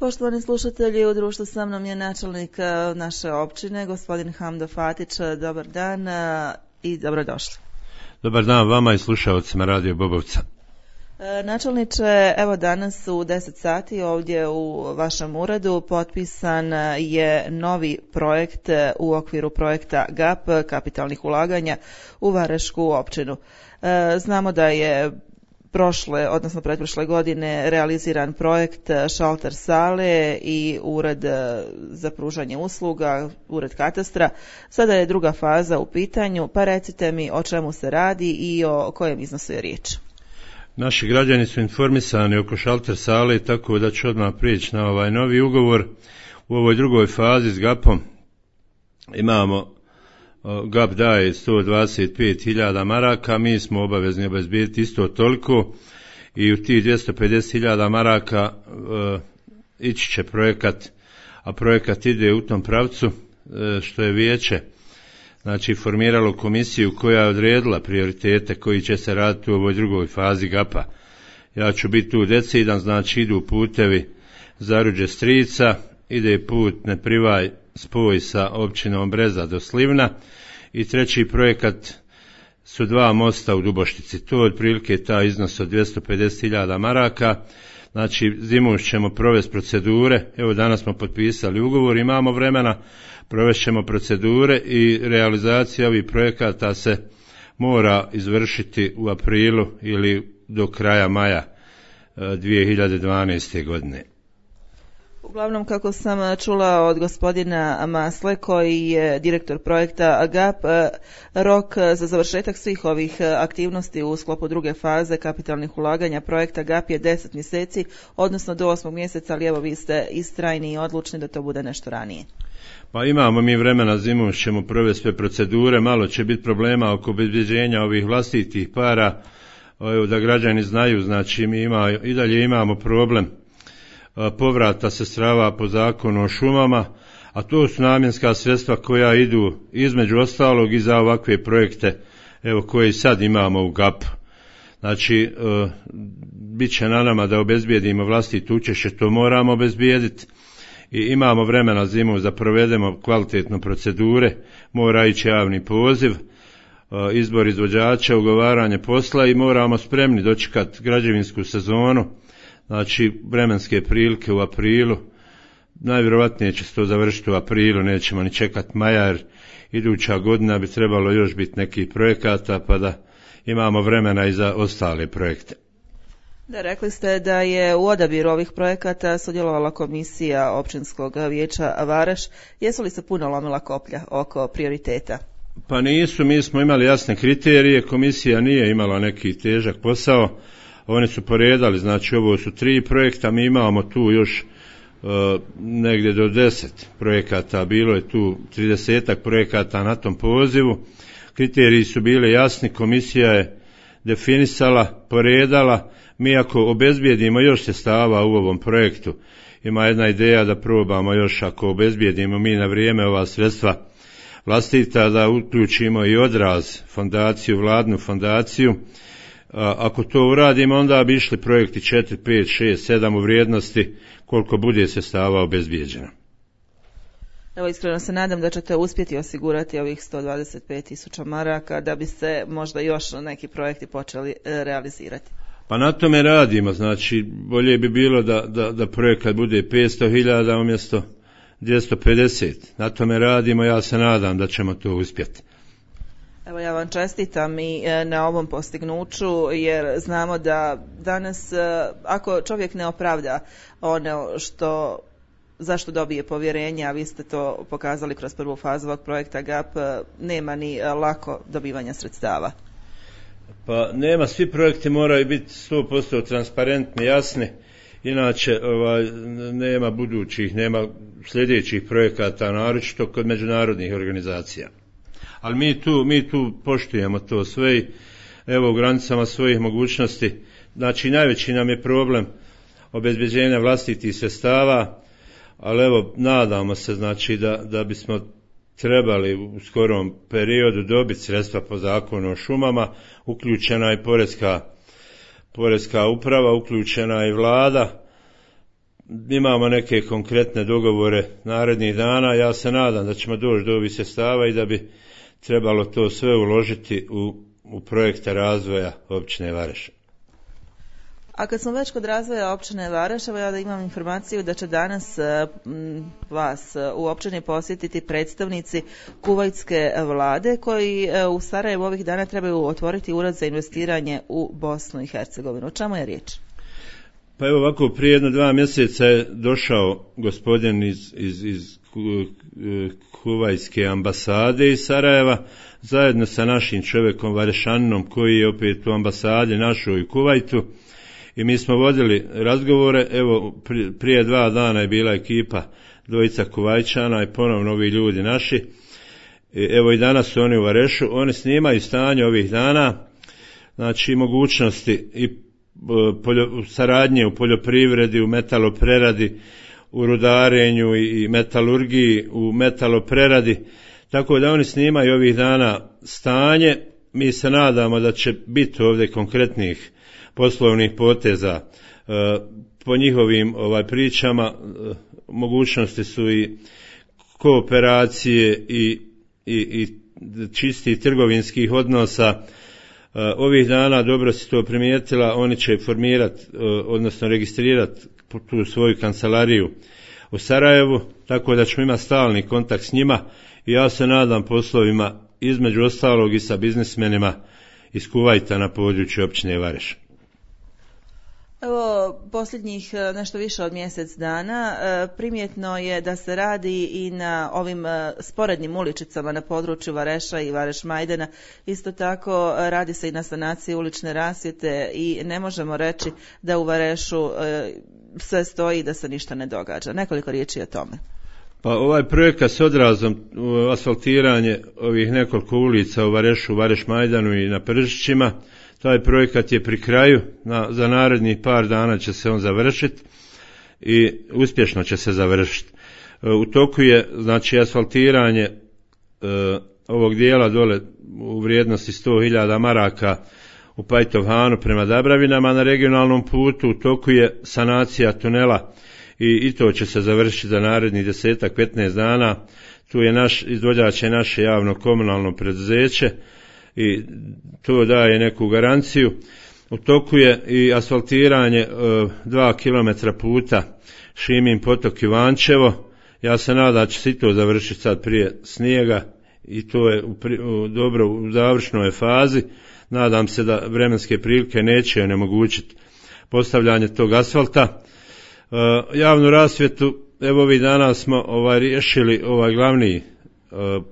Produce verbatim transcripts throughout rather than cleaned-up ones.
Poštovani slušatelji, u društvu sa mnom je načelnik naše općine, gospodin Hamdo Fatić. Dobar dan i dobrodošli. Dobar dan vama i slušalcima Radio Bobovca. Načelniče, evo danas u deset sati ovdje u vašem uredu potpisan je novi projekt u okviru projekta G A P, kapitalnih ulaganja u Varašku općinu. Znamo da je prošle, odnosno pretprošle godine realiziran projekt šalter sale i ured za pružanje usluga, ured katastra. Sada je druga faza u pitanju, pa recite mi o čemu se radi i o kojem iznosu je riječ. Naši građani su informisani oko šalter sale, tako da ću odmah prijeći na ovaj novi ugovor. U ovoj drugoj fazi s G A P-om imamo, G A P daje sto dvadeset pet hiljada maraka, mi smo obavezni obezbijediti isto toliko i u tih dvjesto pedeset hiljada maraka e, ići će projekat, a projekat ide u tom pravcu e, što je vijeće znači formiralo komisiju koja je odredila prioritete koji će se raditi u ovoj drugoj fazi G A P-a. Ja ću biti tu decidan, znači idu putevi Zaruđe Strica, ide put Neprivaj spoj sa općinom Breza do Slivna i treći projekat su dva mosta u Duboštici. To je otprilike taj iznos od dvjesto pedeset hiljada maraka. Znači zimu ćemo provesti procedure, evo danas smo potpisali ugovor, imamo vremena, provest ćemo procedure i realizacija ovih projekata se mora izvršiti u aprilu ili do kraja maja dvije hiljade dvanaeste. godine. Uglavnom, kako sam čula od gospodina Masle, koji je direktor projekta G A P, rok za završetak svih ovih aktivnosti u sklopu druge faze kapitalnih ulaganja projekta G A P je deset mjeseci, odnosno do osmog mjeseca, ali evo vi ste istrajni i odlučni da to bude nešto ranije. Pa imamo mi vremena, zimu ćemo provesti sve procedure, malo će biti problema oko obezbeđenja ovih vlastitih para, evo da građani znaju, znači mi ima, i dalje imamo problem povrata sredstava po zakonu o šumama, a to su namjenska sredstva koja idu između ostalog i za ovakve projekte evo koje sad imamo u G A P. Znači, e, bit će na nama da obezbijedimo vlastito učešće, to moramo obezbijediti i imamo vremena zimu da provedemo kvalitetno procedure, mora ići javni poziv, e, izbor izvođača, ugovaranje posla i moramo spremni dočekati građevinsku sezonu. Znači, vremenske prilike u aprilu, najvjerojatnije će se to završiti u aprilu, nećemo ni čekati maja, jer iduća godina bi trebalo još biti nekih projekata, pa da imamo vremena i za ostale projekte. Da, rekli ste da je u odabiru ovih projekata sudjelovala komisija općinskog vijeća Varaš. Jesu li se puno lomila koplja oko prioriteta? Pa nisu, mi smo imali jasne kriterije, komisija nije imala neki težak posao. Oni su poredali, znači ovo su tri projekta, mi imamo tu još uh, negdje do deset projekata, bilo je tu tridesetak projekata na tom pozivu. Kriteriji su bili jasni, komisija je definisala, poredala, mi ako obezbijedimo još sredstava u ovom projektu, ima jedna ideja da probamo još ako obezbijedimo mi na vrijeme ova sredstva vlastita, da uključimo i Odraz fondaciju, vladnu fondaciju. Ako to uradimo, onda bi išli projekti četiri, pet, šest, sedam u vrijednosti koliko bude sredstava obezbijeđeno. Evo, iskreno se nadam da ćete uspjeti osigurati ovih sto dvadeset pet tisuća maraka da bi se možda još neki projekti počeli realizirati. Pa na tome radimo, znači bolje bi bilo da, da, da projekat bude petsto hiljada umjesto dvjesto pedeset. Na tome radimo, ja se nadam da ćemo to uspjeti. Evo, ja vam čestitam i na ovom postignuću, jer znamo da danas ako čovjek ne opravda ono što zašto dobije povjerenje, a vi ste to pokazali kroz prvu fazu ovog projekta G A P, nema ni lako dobivanja sredstava. Pa nema, svi projekti moraju biti sto posto transparentni, jasni, inače ovaj, nema budućih, nema sljedećih projekata, naročito kod međunarodnih organizacija. Ali mi tu, mi tu poštujemo to sve i evo u granicama svojih mogućnosti. Znači najveći nam je problem obezbeđenja vlastitih sredstava, ali evo nadamo se znači da, da bismo trebali u skorom periodu dobiti sredstva po zakonu o šumama, uključena je poreska, poreska uprava, uključena je vlada. imamo neke konkretne dogovore narednih dana. Ja se nadam da ćemo doći do ovih sredstava i da bi trebalo to sve uložiti u, u projekte razvoja općine Vareš. A kad smo već kod razvoja općine Vareš, evo ja da imam informaciju da će danas m, vas u općini posjetiti predstavnici kuvajtske vlade koji u Sarajevu ovih dana trebaju otvoriti ured za investiranje u Bosnu i Hercegovinu. O čemu je riječ? Pa evo ovako, prije jedno dva mjeseca je došao gospodin iz, iz, iz kuvajtske ambasade iz Sarajeva zajedno sa našim čovjekom Varešaninom koji je opet u ambasadi našoj u Kuvajtu. I mi smo vodili razgovore, evo prije dva dana je bila ekipa dvojica Kuvajčana i ponovno ovi ljudi naši. Evo i danas su oni u Varešu, oni snimaju stanje ovih dana, znači mogućnosti i poljo, saradnje u poljoprivredi, u metalopreradi, u rudarenju i metalurgiji, u metalopreradi, tako da oni snimaju ovih dana stanje. Mi se nadamo da će biti ovdje konkretnih poslovnih poteza. Po njihovim ovaj pričama mogućnosti su i kooperacije i, i, i čistih trgovinskih odnosa. Ovih dana, dobro si to primijetila, oni će formirati, odnosno registrirati tu svoju kancelariju u Sarajevu, tako da ćemo imati stalni kontakt s njima i ja se nadam poslovima između ostalog i sa biznismenima iz Kuvajta na području općine Vareš. Evo, posljednjih nešto više od mjesec dana primjetno je da se radi i na ovim sporednim uličicama na području Vareša i Vareš Majdana. Isto tako radi se i na sanaciji ulične rasvjete i ne možemo reći da u Varešu sve stoji i da se ništa ne događa. Nekoliko riječi o tome. Pa ovaj projekat s odrazom asfaltiranje ovih nekoliko ulica u Varešu, Vareš Majdanu i na Pržićima, taj projekat je pri kraju, na, za narednih par dana će se on završiti i uspješno će se završiti. U toku je znači asfaltiranje e, ovog dijela dole u vrijednosti sto hiljada maraka u Pajtovhanu prema Dabravinama na regionalnom putu. U toku je sanacija tunela i, i to će se završiti za narednih desetak, petnaest dana. Tu je naš izvođač je naše javno komunalno preduzeće i to daje neku garanciju. U toku je i asfaltiranje e, dva kilometra puta Šimin potok Ivančevo. Ja se nadam da će se i to završiti sad prije snijega i to je u, u, dobro u završnoj fazi. Nadam se da vremenske prilike neće onemogućiti postavljanje tog asfalta. E, javnu rasvjetu, evo ovih dana smo ovaj, riješili ovaj glavni e,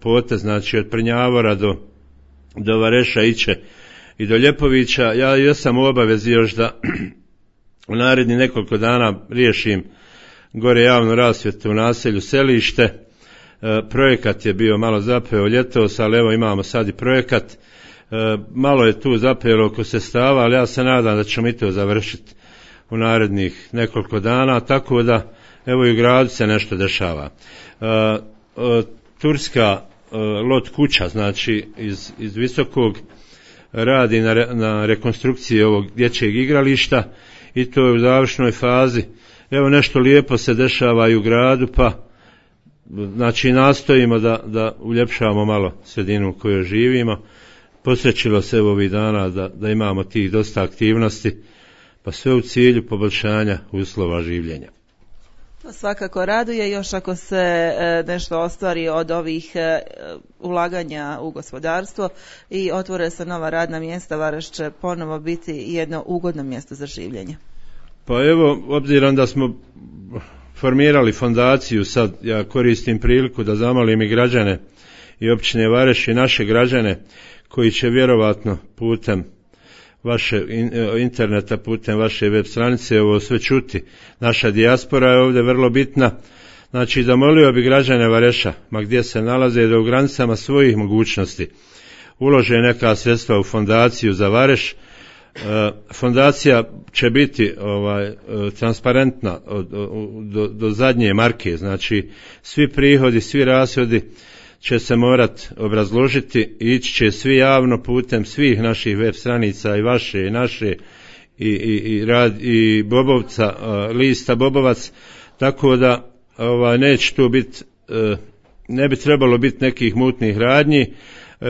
potez, znači od Prnjavora do do Vareša iće i do Ljepovića. Ja jesam u obavezi još da u naredni nekoliko dana riješim gore javnu rasvjetu u naselju Selište. E, projekat je bio malo zapeo ljetos, ali evo imamo sad i projekat. E, malo je tu zapelo oko sredstava, ali ja se nadam da ćemo i to završiti u narednih nekoliko dana, tako da evo i u gradu se nešto dešava. E, e, Turska lot kuća, znači iz, iz Visokog radi na, re, na rekonstrukciji ovog dječjeg igrališta i to je u završnoj fazi. Evo nešto lijepo se dešava i u gradu, pa znači nastojimo da, da uljepšavamo malo sredinu u kojoj živimo. Posrećilo se ovih dana da, da imamo tih dosta aktivnosti, pa sve u cilju poboljšanja uslova življenja. To svakako raduje, još ako se nešto ostvari od ovih ulaganja u gospodarstvo i otvore se nova radna mjesta, Vareš će ponovo biti jedno ugodno mjesto za življenje. Pa evo, obzirom da smo formirali fondaciju, sad ja koristim priliku da zamolim i građane i općine Vareš i naše građane koji će vjerovatno putem vaše interneta, putem vaše web stranice ovo sve čuti. Naša dijaspora je ovdje vrlo bitna. Znači, zamolio bi građane Vareša, ma gdje se nalaze, da u granicama svojih mogućnosti ulože neka sredstva u fondaciju za Vareš. Fondacija će biti ovaj transparentna od, do, do zadnje marke, znači svi prihodi, svi rashodi će se morat obrazložiti i ići će svi javno putem svih naših web stranica i vaše i naše i, i, i, rad, i bobovca, lista bobovac, tako da ovaj, neće tu biti, ne bi trebalo biti nekih mutnih radnji.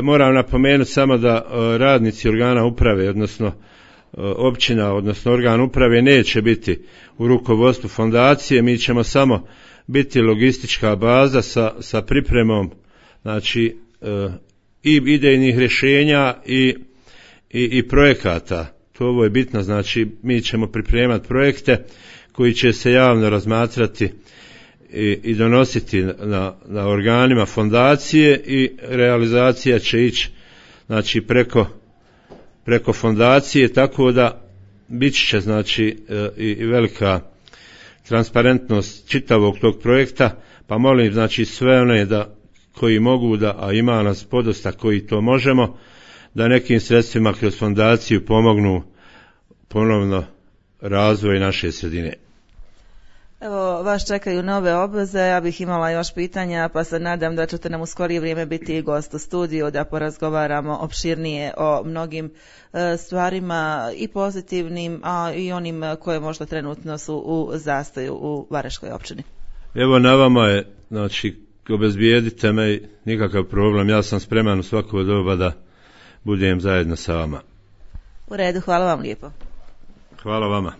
Moram napomenuti samo da radnici organa uprave, odnosno općina, odnosno organ uprave neće biti u rukovodstvu fondacije, mi ćemo samo biti logistička baza sa, sa pripremom, znači i idejnih rješenja i, i, i projekata. To ovo je bitno, znači mi ćemo pripremati projekte koji će se javno razmatrati i, i donositi na, na organima fondacije i realizacija će ići znači preko preko fondacije, tako da bit će znači i, i velika transparentnost čitavog tog projekta, pa molim znači sve one da koji mogu da, a ima nas podosta koji to možemo, da nekim sredstvima kroz fondaciju pomognu ponovno razvoj naše sredine. Evo, vas čekaju nove obveze, ja bih imala još pitanja, pa se nadam da ćete nam u skorije vrijeme biti i gost u studiju, da porazgovaramo opširnije o mnogim e, stvarima i pozitivnim, a i onim koje možda trenutno su u zastoju u Varaždinskoj općini. Evo na vama je, znači, obezbijedite me, nikakav problem, ja sam spreman u svako doba da budem zajedno sa vama. U redu, hvala vam lijepo. Hvala vama.